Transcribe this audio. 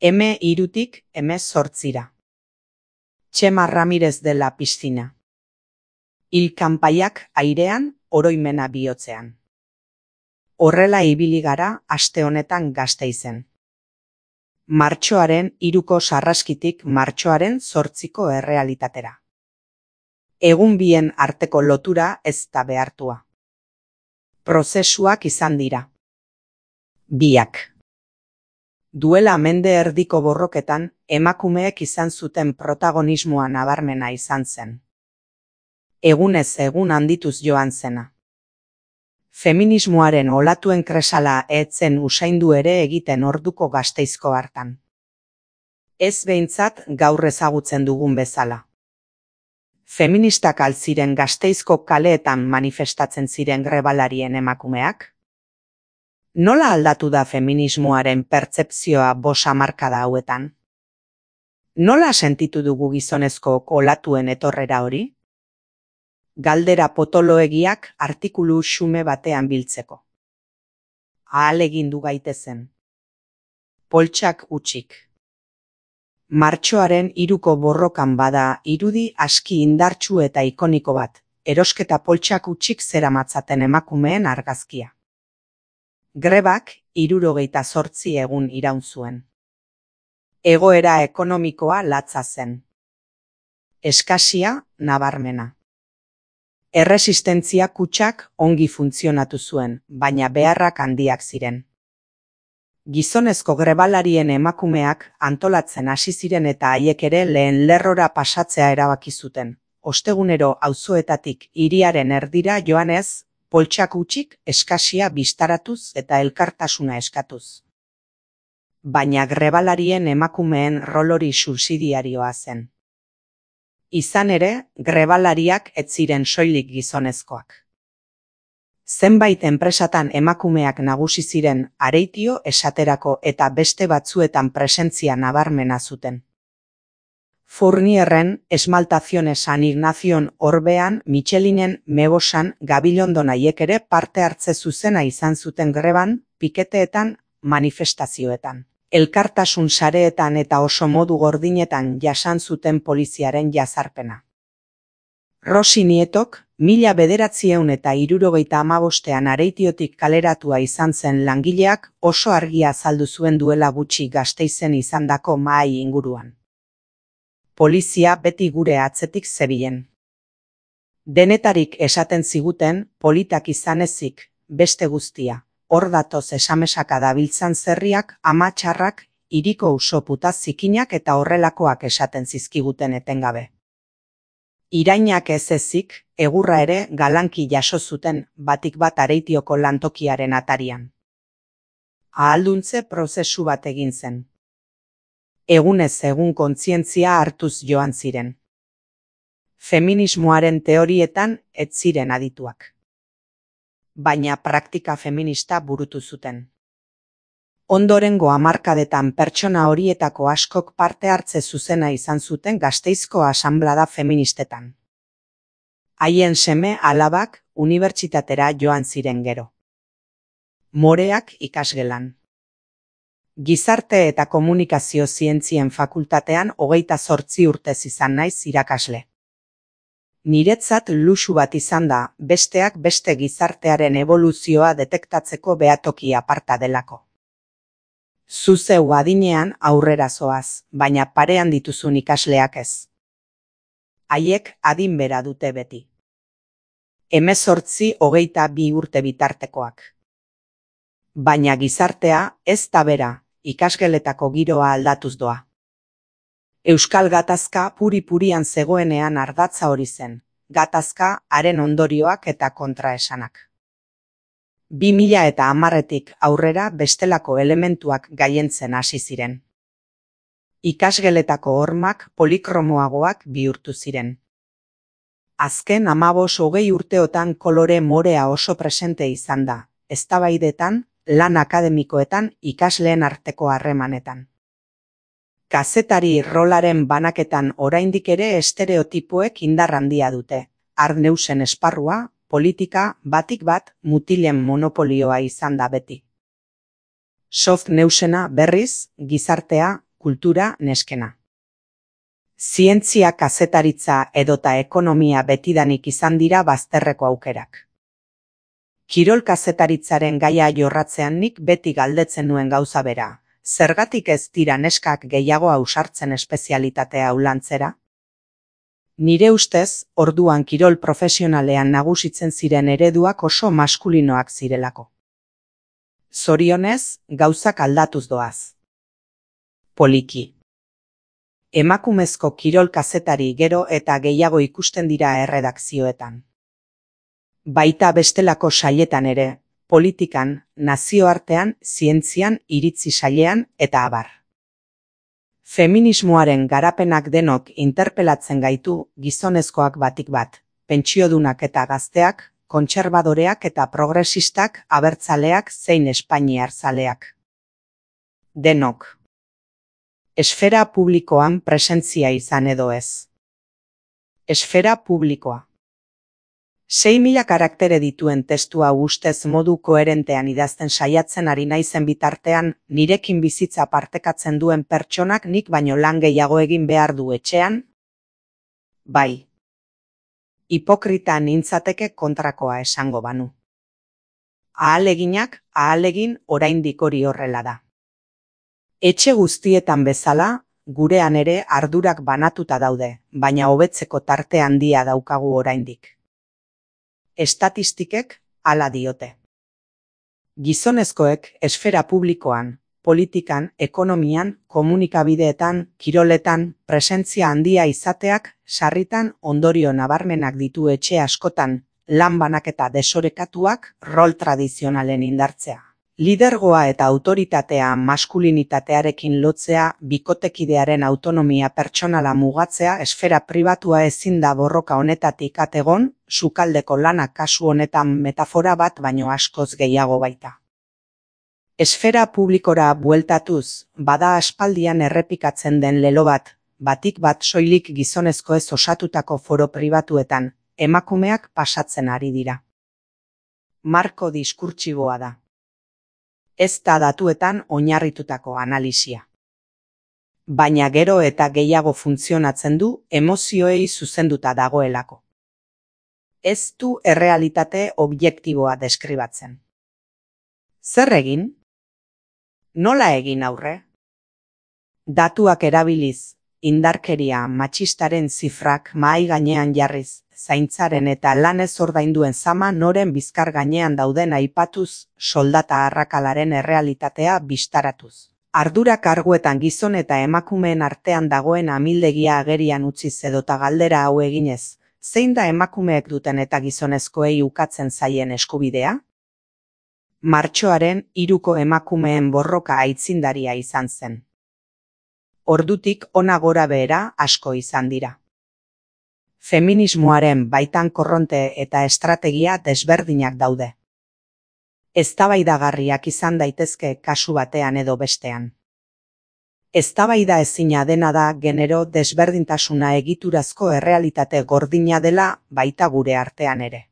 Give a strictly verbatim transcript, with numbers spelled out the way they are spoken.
eme hirutik eme zortzira. Txema Ramirez de la Piscina. Hil kanpaiak airean, oroimena bihotzean. Horrela ibili gara aste honetan Gasteizen. Martxoaren hiruko sarraskitik martxoaren zortziko errealitatera. Egun bien arteko lotura ez da behartua. Prozesuak izan dira. Biak. Duela mende erdiko borroketan, emakumeek izan zuten protagonismoa nabarmena izan zen. Egunez egun handituz joan zena. Feminismoaren olatuen kresala etzen usaindu ere egiten orduko Gasteizko hartan. Ez behintzat gaur ezagutzen dugun bezala. Feministak altziren Gasteizko kaleetan manifestatzen ziren grebalarien emakumeak? Nola aldatu da feminismoaren pertzepzioa bost hamarkada hauetan? Nola sentitu dugu gizonezko olatuen etorrera hori? Galdera potoloegiak artikulu xume batean biltzeko. Ahalegindu gaitezen. Poltsak utxik. Martxoaren hiruko borrokan bada irudi aski indartsu eta ikoniko bat, erosketa poltsak utxik zeramatzaten emakumeen argazkia. Grebak hirurogeita zortzi egun iraun zuen. Egoera ekonomikoa latza zen. Eskasia nabarmena. Erresistentzia kutxak ongi funtzionatu zuen, baina beharrak handiak ziren. Gizonezko grebalarien emakumeak antolatzen hasi ziren eta haiek ere lehen lerrora pasatzea erabaki zuten. Ostegunero auzoetatik hiriaren erdira joanez, poltsak utxik eskasia bistaratuz eta elkartasuna eskatuz. Baina grebalarien emakumeen rol hori subsidiarioa zen. Izan ere, grebalariak ez ziren soilik gizonezkoak. Zenbait enpresatan emakumeak nagusi ziren Areitio esaterako eta beste batzuetan presentzia nabarmena zuten. Fournierren, Esmaltazione San Ignazion Orbean, Michelinen, Mebosan, Gabilondon haiek ere parte hartze zuzena izan zuten greban, piketeetan, manifestazioetan. Elkartasun sareetan eta oso modu gordinetan jasan zuten poliziaren jazarpena. Rosi Nietok, mila bederatzieun eta hirurogeita hamabostean Areitiotik kaleratua izan zen langileak oso argia azaldu zuen duela gutxi Gasteizen izandako mahai inguruan. Polizia beti gure atzetik zebilen. Denetarik esaten ziguten, politak izan ezik, beste guztia. Hor datoz esamesaka dabiltzan zerriak, amatxarrak, hiriko usoputa zikinak eta horrelakoak esaten zizkiguten etengabe. Irainak ez ezik, egurra ere galanki jaso zuten batik bat Areitioko lantokiaren atarian. Ahalduntze prozesu bat egin zen. Egunez egun kontzientzia hartuz joan ziren. Feminismoaren teorietan ez ziren adituak. Baina praktika feminista burutu zuten. Ondorengo hamarkadetan pertsona horietako askok parte hartze zuzena izan zuten Gasteizko asanblada feministetan. Haien seme alabak unibertsitatera joan ziren gero. Moreak ikasgelan. Gizarte eta komunikazio zientzien fakultatean hogeita zortzi urtez izan naiz irakasle. Niretzat luxu bat izan da, besteak beste gizartearen eboluzioa detektatzeko behatoki aparta delako. Zuzeu adinean aurrera zoaz, baina parean dituzun ikasleak ez. Haiek adin bera dute beti. Hemezortzi hogeita bi urte bitartekoak. Baina gizartea ez da bera, ikasgeletako giroa aldatuz doa. Euskal gatazka puri-purian zegoenean ardatza hori zen, gatazka haren ondorioak eta kontraesanak. Bi mila eta hamarretik aurrera bestelako elementuak gaientzen hasi ziren. Ikasgeletako hormak polikromoagoak bihurtu ziren. Azken hamabos hogei urteotan kolore morea oso presente izan da, eztabaidetan, lan akademikoetan, ikasleen arteko harremanetan. Kazetari rolaren banaketan oraindik ere estereotipoek indar handia dute. Arneusen esparrua, politika, batik bat, mutilen monopolioa izan da beti. Soft neusena berriz, gizartea, kultura neskena. Zientzia, kazetaritza edota ekonomia betidanik izan dira bazterreko aukerak. Kirol kazetaritzaren gaia jorratzean nik beti galdetzen nuen gauza bera. Zergatik ez dira neskak gehiago ausartzen espezialitatea hau lantzera? Nire ustez, orduan kirol profesionalean nagusitzen ziren ereduak oso maskulinoak zirelako. Zorionez, gauzak aldatuz doaz. Poliki. Emakumezko kirol kazetari gero eta gehiago ikusten dira erredakzioetan. Baita bestelako sailetan ere, politikan, nazioartean, zientzian, iritzi sailean eta abar. Feminismoaren garapenak denok interpelatzen gaitu gizonezkoak batik bat, pentsiodunak eta gazteak, kontserbadoreak eta progresistak, abertzaleak zein espainiar zaleak. Denok. Esfera publikoan presentzia izan edo ez. Esfera publikoa. sei mila karaktere dituen testua ustez modu koherentean idazten saiatzen ari naizen bitartean, nirekin bizitza partekatzen duen pertsonak nik baino lan gehiago egin behar du etxean? Bai. Hipokrita nintzateke kontrakoa esango banu. Ahaleginak, ahalegin oraindik hori horrela da. Etxe guztietan bezala, gurean ere ardurak banatuta daude, baina hobetzeko tarte handia daukagu oraindik. Estatistikek hala diote. Gizonezkoek esfera publikoan, politikan, ekonomian, komunikabideetan, kiroletan, presentzia handia izateak, sarritan ondorio nabarmenak ditu etxe askotan, lan banaketa desorekatuak, rol tradizionalen indartzea. Lidergoa eta autoritatea maskulinitatearekin lotzea, bikotekidearen autonomia pertsonala mugatzea, esfera pribatua ezin da borroka honetatik at egon, sukaldeko lana kasu honetan metafora bat baino askoz gehiago baita. Esfera publikora bueltatuz, bada aspaldian errepikatzen den lelo bat, batik bat soilik gizonezkoez osatutako foro pribatuetan, emakumeak pasatzen ari dira. Marko diskurtsiboa da. Ez da datuetan oinarritutako analisia. Baina gero eta gehiago funtzionatzen du emozioei zuzenduta dagoelako. Ez du errealitate objektiboa deskribatzen. Zer egin? Nola egin aurre? Datuak erabiliz, indarkeria matxistaren zifrak mahai gainean jarriz, zaintzaren eta lanez ordainduen zama noren bizkar gainean dauden aipatuz, soldata arrakalaren errealitatea bistaratuz. Ardura karguetan gizon eta emakumeen artean dagoen amildegia agerian utziz edota galdera hau eginez, zein da emakumeek duten eta gizonezkoei ukatzen zaien eskubidea? Martxoaren hiruko emakumeen borroka aitzindaria izan zen. Ordutik hona gora behera asko izan dira. Feminismoaren baitan korronte eta estrategia desberdinak daude. Eztabaidagarriak izan daitezke kasu batean edo bestean. Eztabaida ezina dena da genero desberdintasuna egiturazko errealitate gordina dela baita gure artean ere.